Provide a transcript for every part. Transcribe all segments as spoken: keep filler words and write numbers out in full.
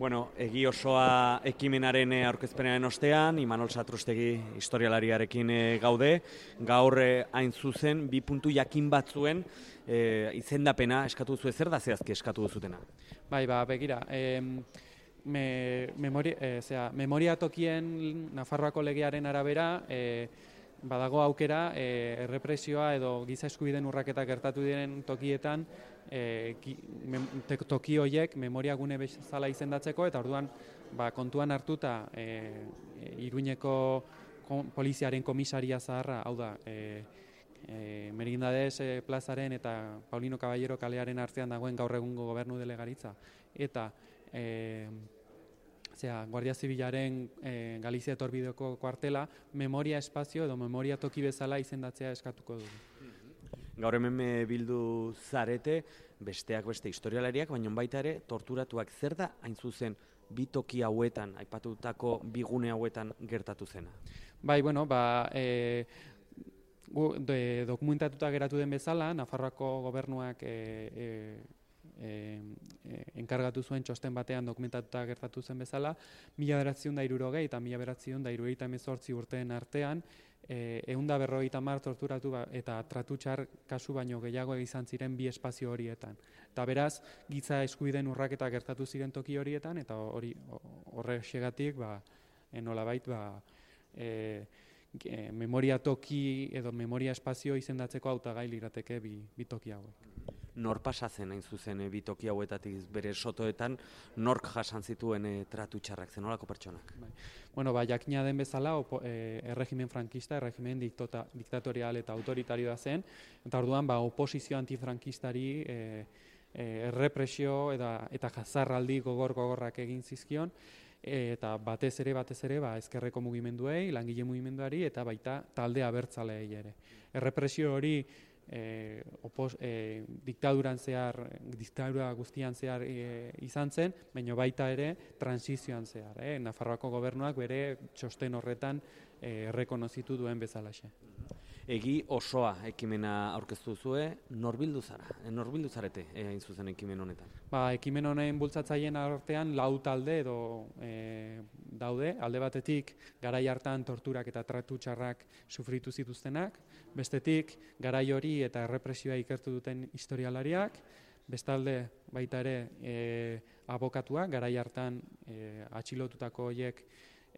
Bueno, egi osoa ekimenaren eh, aurkezpenaren ostean, Imanol Satrustegi historialariarekin eh, gaude, gaur eh, hain zuzen, bi puntu jakin batzuen eh, izendapena eskatu duzu zer da zehazki eskatu duzutena? Bai, ba, begira, em, me, memori, e, zera, memoria tokien Nafarroako legearen arabera, e, badago aukera e, errepresioa edo giza eskubideen urraketak gertatu diren tokietan e, ki, mem, te, toki horiek memoria gune bezala izendatzeko, eta orduan ba, kontuan hartuta e, e, Iruñeko kon, poliziaren komisaria zaharra, hau da, e, e, Merindades e, plazaren eta Paulino Caballero kalearen artean dagoen gaur egungo gobernu delegaritza, eta e, Zera, Guardia Zibilaren e, Galizia etorbideko kuartela, memoria espazio edo memoria toki bezala izendatzea eskatuko dugu. Gaur hemen bildu zarete, besteak beste historialariak, baina baita ere torturatuak zer da hain zuzen bi toki hauetan, aipatutako bi gune hauetan gertatu zena? Bai, bueno, ba, e, gu, de, dokumentatuta geratu den bezala, Nafarroako gobernuak e, e, E, e, enkargatu zuen txosten batean dokumentatuta gertatu zen bezala, mila bederatziehun eta hirurogei eta mila bederatziehun eta hirurogeita hemezortzi urteen artean, ehun eta berrogeita hamar torturatu ba, eta tratutxar kasu baino gehiago izan ziren bi espazio horietan. Eta beraz, giza eskubideen urraketa gertatu ziren toki horietan, eta hori horrexegatik, ba, nolabait, ba, e, e, memoria toki edo memoria espazio izendatzeko hautagai lirateke bi, bi toki hauek. Nor pasatzen hain zuzen e, bi toki hauetatik bere sotoetan, nork jasan zituen e, tratu txarrak, zenolako pertsonak? Bai. Bueno, ba, jakina den bezala, opo, e, erregimen frankista, erregimen diktota, diktatorial eta autoritarioa zen, eta orduan ba, oposizio antifrankistari e, e, errepresio eta, eta jazarraldi gogor-gogorrak egin zizkion, eta batez ere, batez ere, ba, ezkerreko mugimenduei, langile mugimenduari, eta baita talde abertzaleei ere. Errepresio hori E, opos, e, diktaduran zehar, diktadura guztian zehar e, izan zen, baina baita ere transizioan zehar. E, Nafarroako gobernuak bere txosten horretan e, errekonozitu duen bezalaxe. Egi osoa ekimena aurkeztu zue, nor bildu zara? Nor bildu zarete hain zuzen ekimen honetan? Ba, ekimen honen bultzatzaileen artean lau talde edo e, daude, alde batetik garai hartan torturak eta tratu txarrak sufritu zituztenak, bestetik garai hori eta errepresioa ikertu duten historialariak, bestalde baita ere e, abokatuak, garai hartan e, atxilotutako horiek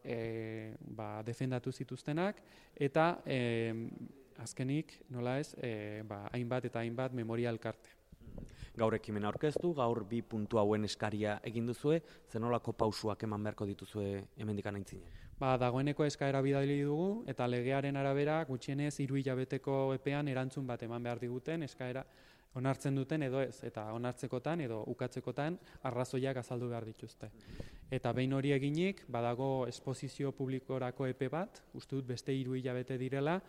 E, ba, defendatu zituztenak, eta e, azkenik, nola ez, e, ba, hainbat eta hainbat memoria elkarte. Gaur ekimena aurkeztu, gaur bi puntu hauen eskaria egin duzue, zenolako pausuak eman beharko dituzue hemendik aintzinen? Ba, dagoeneko eskaera bidali dugu, eta legearen arabera gutxienez hiru hilabeteko epean erantzun bat eman behar diguten eskaera onartzen duten edo ez, eta onartzekotan edo ukatzekotan arrazoiak azaldu behar dituzte. Eta behin hori eginik, badago esposizio publikorako epe bat, uste dut beste hiru hilabete direla,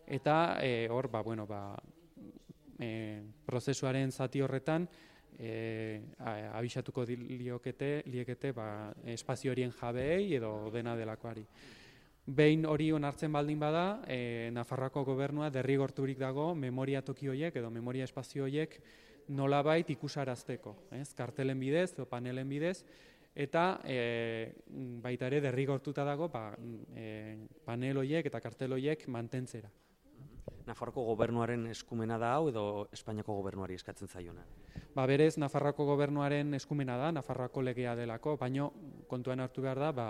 eta e, hor, ba, bueno, ba, e, prozesuaren zati horretan, e, abisatuko liokete, liekete ba, espazio horien jabeei edo dena delakoari. Behin hori onartzen baldin bada, e, Nafarroako gobernua derrigorturik dago memoria toki horiek edo memoria espazio horiek nolabait ikusarazteko, ez? Kartelen bidez edo panelen bidez, eta e, baita ere derrigortuta dago ba, e, panel horiek eta kartel horiek mantentzera. Nafarroako gobernuaren eskumena da hau edo Espainiako gobernuari eskatzen zaiona? Ba, berez, Nafarroako gobernuaren eskumena da, Nafarroako legea delako, baino kontuan hartu behar da, ba,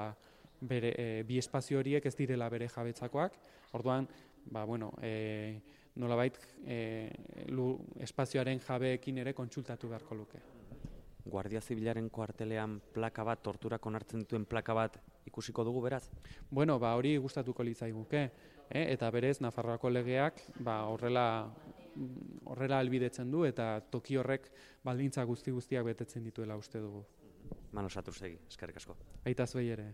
bere, e, bi espazio horiek ez direla bere jabetzakoak, orduan, ba, bueno, e, nolabait e, lu, espazioaren jabeekin ere kontsultatu beharko luke. Guardia Zibilaren kuartelean plaka bat, torturak onartzen dituen plaka bat ikusiko dugu beraz? Bueno, ba, hori gustatuko litzaiguke, eh? Eta berez, Nafarroako legeak ba, horrela, horrela albidetzen du eta toki horrek baldintza guzti guztiak betetzen dituela uste dugu. Imanol Satrustegi, eskerrik asko. Baita zuei ere.